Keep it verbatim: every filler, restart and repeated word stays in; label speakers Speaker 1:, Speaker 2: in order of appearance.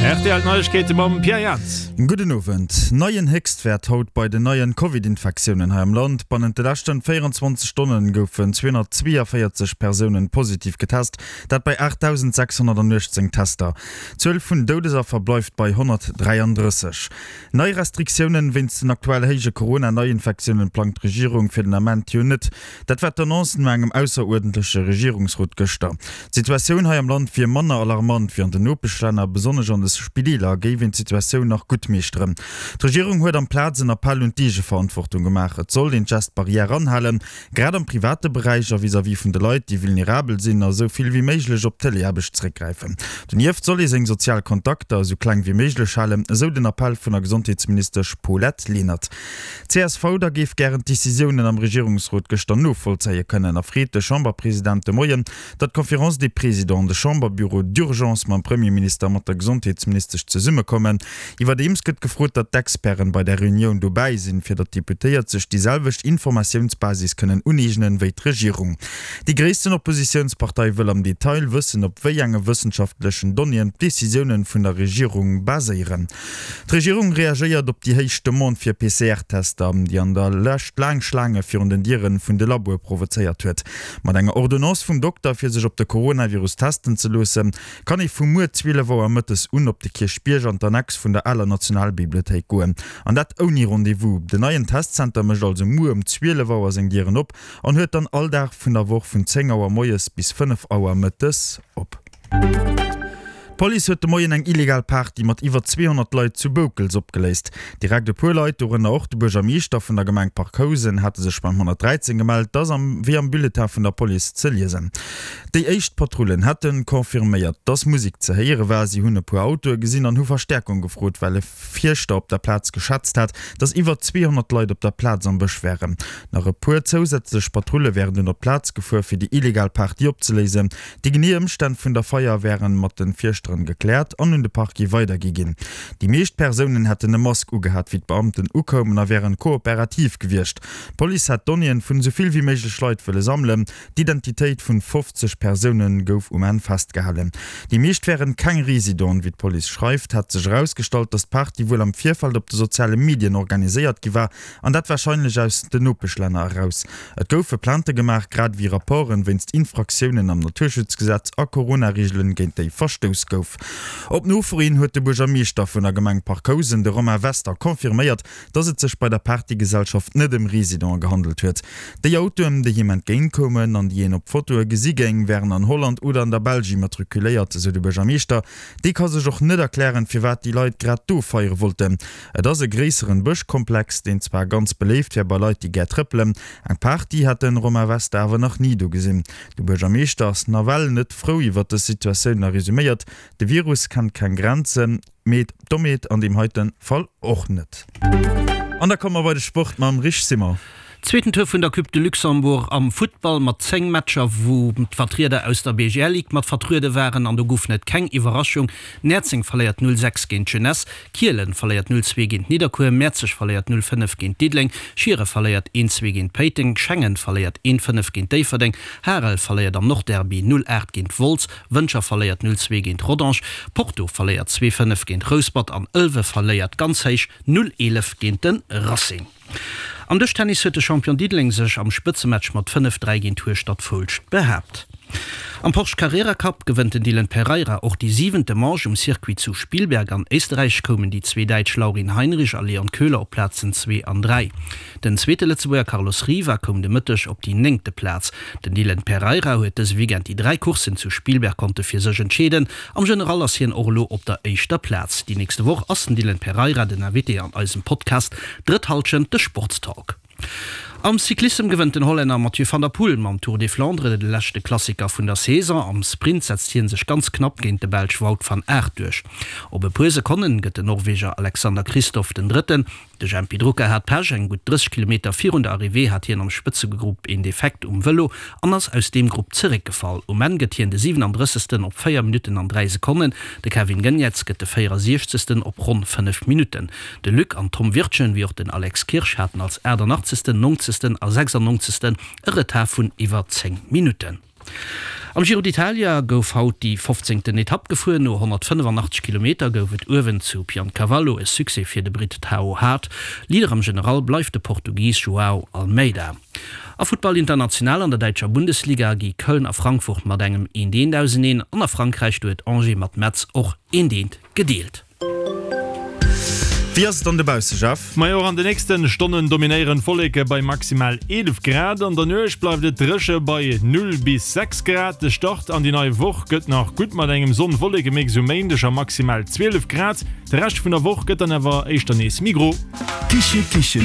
Speaker 1: Rtl Neiegkeete mam Pierre Jans.
Speaker 2: Gudden Owend. Neien Héchstwäert haut bei den neien Covid-Infektiounen hei am Land. Bannent de leschten véierenzwanzeg Stonnen goufen zweehonnertzweeënvéierzeg Persounen positiv getest, dat bei aachtdausendsechshonnertanuechtzéng Tester. D'Zuel vun Doudesaffer bleift bei honnertdräiandrësseg. Nei Restriktiounen wéinst den aktuell héije Corona-Neiinfektiounen plangt d'Regierung fir den Ament jo net. Dat war d'Annonce no engem ausseruerdentleche Regierungsrot gëschter. D'Situatioun hei am Land wier manner alarmant wéi an den Nopeschlänner. Besonnesch an de Spideeler géif een d'Situatioun nach gutt meeschteren. D'Regierung huet amplaz en Appell un d'Eegeverantwortung gemaach. Et sollt een d'Gestes barrières anhalen, grad am private Beräich a vis-à-vis vun de Leit, déi vulnerabel sinn, a sou vill wéi méiglech op Teleaarbecht zeréckgräifen. Donieft soll ee seng sozial Kontakter esou kleng wéi méiglech halen, esou den Appell vun der Gesondheetsministesch Paulette Lenert. D'CSV da géif gären d'Decisiounen am Regierungsrot gëschter novollzéie kënnen a freet de Chamberpresident de Moien, datt d'Conférence des Présidents an de Chamberbüro d'urgence mam Premierminister a mat der Gesondheetsministesch zesummekommen. Iwwerdeems gëtt gefrot, datt d'Experten bei där Reunioun dobäi sinn, fir datt d'Deputéiert sech déi selwecht Informatiounsbasis kënnen uneegnen, wéi d'Regierung. Déi gréissten Oppositiounspartei wëll am Detail wëssen, op wéi enge wëssenschaftlechen Donnéeën d'Decisiounen vun der Regierung baséieren. D'Regierung reagéiert op déi héich Demande fir P C R-Tester, déi an der Lescht laang Schlaange virun den Diere vun de Laboe provozéiert huet. Mat enger Ordonnance vum Dokter, fir sech op de Coronavirus testen ze loossen, kann ee vu muer zwielef Auer mëttes un op de Kierchbierg an d'Annex vun der aler Nationalbibliothéik goen. An dat ouni Rendez-vous. Den neien Testzenter mécht also muer um zwielef Auer seng Dieren op an huet dann all Dag vun der Woch vun zéng Auer moies bis fënnef Auer mëttes op. D'Police huet de Moien eng illegal Party mat iwwer zweehonnert Leit zu Boukels opgeléist. Direkt e puer Leit, dorënner och de Buergermeeschter vun der Gemeng Parc Housen, hate sech beim honnertdräizéng gemellt, dat ass am wéi am Bulletin vun der Police ze liesen. Déi éischt Patrullen hätte confirméiert, dass Musek ze héiere war. Si hunn e puer Autoe gesinn an hu Verstäerkung gefrot, well e Fierschter op der Plaz geschätzt hat, dass iwwer zweehonnert Leit op der Plaz am Bësch wären. Nach e puer zousätzlech Patrulle wären dunn op d'Plaz gefuer, fir déi illegal Party opzeléisen. Déi genee Ëmstänn vun der Feier wären mat de Fierschteren gekläert an un de Parquet weidergi ginn. Déi meescht Persounen hätten e Mask ugehat, wéi d'Beamten ukoumen a wären kooperativ gewiescht. D'Police hätt Donnéeën vun esou vill wéi méiglech Leit wëlle sammelen. D'Identitéit vun fofzeg Persounen gouf um Enn festgehalen. Déi meescht wären keng Residenten. Wéi d'Police schreift, hätt sech erausgestallt, datt d'Party wuel am Virfeld op de soziale Medien organiséiert gi war, an dat warscheinlech aus den Nopeschlänner eraus. Et goufe Plainte gemaach, grad ewéi Rapporten wéinst Infraktiounen am Naturschutzgesetz a Corona-Reegelen, géint déi verstouss gouf. Op Nofro hin huet de Buergermeeschter vun der Gemeng Parc Housen, de Romain Wester, confirméiert, dass et sech bei der Partygesellschaft net ëm Residente gehandelt huet. Déi Autoen, déi him entgéintkoumen an déi een op Fotoe gesi géing, wären an Holland oder an der Belsch immatrikuléiert, esou de Buergermeeschter. Dee ka sech och net erklären, firwat déi Leit grad do feiere wollten. Et ass e gréisseren Bëschkomplex, deen zwar ganz beléift wär bei Leit, déi gär trëppelen. Eng Party hätt de Romain Wester awer nach ni do gesinn. De Buergermeeschter ass nawell net frou iwwer dës Situatioun a resuméiert, De Virus kennt keng Grenzen, mee d'Dommheet an deem heite Fall och net. An da komme mer bei de Sport mam Rich Simmer.
Speaker 3: Zweeten Tour vun der Coupe de Luxembourg am Futtball mat zéng Matcher, wou d'Vertrieder aus der B G L Ligue mat vertruede waren an do goufen et keng Iwwerraschung. Näerzeng verléiert null sechs géint d'Jeunesse, Kielen verléiert null zwee géint Nidderkuer, Mäerzeg verléiert null fënnef géint Diddeleng, Schiere verléiert een zwee géint Péiteng, Schengen verléiert een fënnef géint Déifferdeng, Harel verléiert am Nordderby null aacht géint Wolz, Wëntger verléiert null zwee géint Rodange, Porto verléiert zwee fënnef géint Rouspert an Ëlwe verléiert ganz héich null eelef géint de Racing. Am Dëschtennis huet de Champion Diddeleng sech am Spëtzematch mat fënnef dräi géint Hueschtert Foulscht behaapt. Am Porsche Carrera Cup gewënnt den Dylan Pereira och déi siwente Manche. Um Circuit zu Spielberg an Éisterräich koumen déi zwee Däitsch Laurin Heinrich a Leon Köhler op d'Plazen zwee an dräi. Den zweete Lëtzebuerger Carlos Riva koum de Mëtteg op déi néngte Plaz. Den Dylan Pereira huet dëse Weekend déi dräi Courssen zu Spielberg konnte fir sech entscheeden. Am General ass hien och elo op der éischter Plaz. Déi nächste Woch ass den Dylan Pereira den Invité an eisem Podcast Drëtt Hallschent, de Sportstalk. Am Cyclissem gewënnt den Hollänner Mathieu van der Poel mam Tour des Flandres de leschte Klassiker vun der Saison. Am Sprint setzt hie sech ganz knapp géint de Belsch Wout van Aert duerch. Op e puer Sekonne gëtt den Norweger Alexander Kristoff den Drëtten. De Jempy Drucker hat Pech, eng gutt drësseg Kilometer virun der Arrivée hat hien am Spëtzegrupp een Defekt um Vëlo an ass aus deem Grupp zeréckgefall. Um Enn gëtt hien de siwenandrëssegsten op véier Minutten an dräi Sekonnen, de Kevin Geniets gëtt de véierasiechzegsten op ronn fënnef Minutten. De Luc an Tom Wirtgen wéi och den Alex Kirsch haten als aachtanachtzegsten, nonzegsten a sechsannonzegsten e Retard vun iwwer zéng Minutten. Am Giro d'Italia gouf haut déi fofzéngten Etapp gefuer. No honnertfënnefanachteg Kilometer gouf et uewen zu Piancavallo e Succès fir de Britt Tao Hart. Leader am General bleift de Portugis Joao Almeida. A Futtball international an der däitscher Bundesliga gi Köln a Frankfurt mat engem eent eent auseneen an a Frankräich huet Angers mat Metz och eent eent gedeelt.
Speaker 2: Wéi ass et dann dobausse, Jeff?
Speaker 1: Majo, och an de nächste Stonnen dominéieren d'Wolleke bei maximal eelef Grad. An der Nuecht bleift et dréche bei null bis sechs Grad. De Start an déi nei Woch gëtt nach gutt mat engem Sonn-Wolleke-Mix um Méindeg a maximal zwielef Grad. De Rescht vun der Woch gëtt dann awer éischter nees méi gro.
Speaker 4: Kiche Kichen.